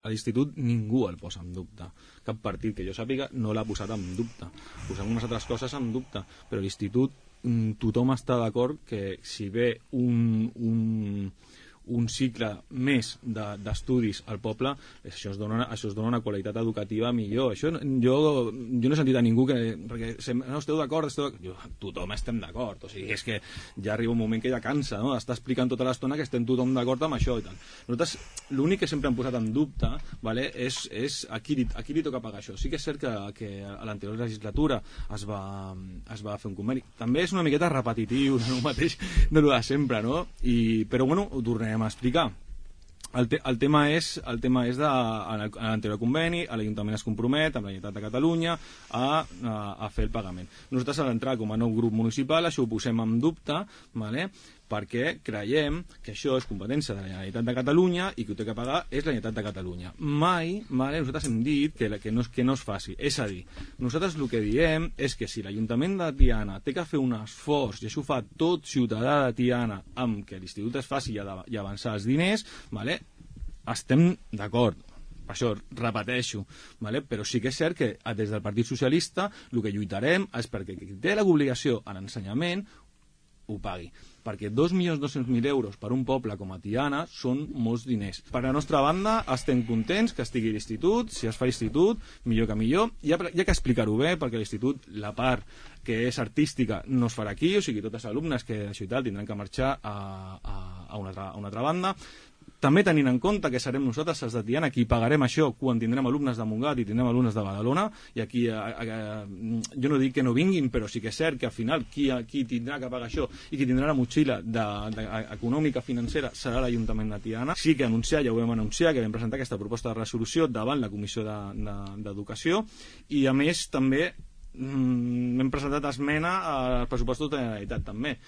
A l'institut ningú el posa en dubte. Cap partit que jo sàpiga no l'ha posat en dubte. Posem unes altres coses en dubte, però l'institut tothom està d'acord que si ve un cicle més d'estudis al poble, això es dona una qualitat educativa millor. Això jo no he sentit a ningú perquè no esteu d'acord, tothom estem d'acord, o sigui, és que ja arriba un moment que ja cansa, no? Està explicant tota l'estona que estem tothom d'acord amb això i tal. Nosaltres l'únic que sempre hem posat en dubte, vale, és a qui li toca pagar això. Sí que és cert que a l'anterior legislatura es va fer un conveni. També és una miqueta repetitiu, no el mateix de lo de sempre, no? Però bueno, ho tornem a explicar. El tema és a l'anterior conveni, l'Ajuntament es compromet amb la Generalitat de Catalunya a fer el pagament. Nosaltres a l'entrar com a nou grup municipal això ho posem en dubte, vale? Perquè creiem que això és competència de la Generalitat de Catalunya i que ho té que pagar és la Generalitat de Catalunya. Mai, vale, nosaltres hem dit que no es faci. És a dir, nosaltres el que diem és que si l'Ajuntament de Tiana té que fer un esforç, i això ho fa tot ciutadà de Tiana, amb que l'institut es faci i avançar els diners, vale, estem d'acord. Per això repeteixo, vale? Però sí que és cert que des del Partit Socialista el que lluitarem és perquè qui té l'obligació en ensenyament ho pagui, perquè 2.200.000 euros per un poble com a Tiana són molts diners. Per la nostra banda estem contents que estigui l'institut, si es fa l'institut, millor que millor, hi ha que explicar-ho bé, perquè l'institut, la part que és artística no es farà aquí, o sigui, totes les alumnes que d'això i tal tindran que marxar a una altra banda. També tenint en compte que serem nosaltres els de Tiana qui pagarem això quan tindrem alumnes de Montgat i tindrem alumnes de Badalona, i aquí jo no dic que no vinguin, però sí que és cert que al final qui tindrà que pagar això i qui tindrà la motxilla econòmica financera serà l'Ajuntament de Tiana. Sí que anunciar, ja ho vam anunciar, que vam presentar aquesta proposta de resolució davant la Comissió d'Educació, i a més també hem presentat esmena als pressupostos de la Generalitat també.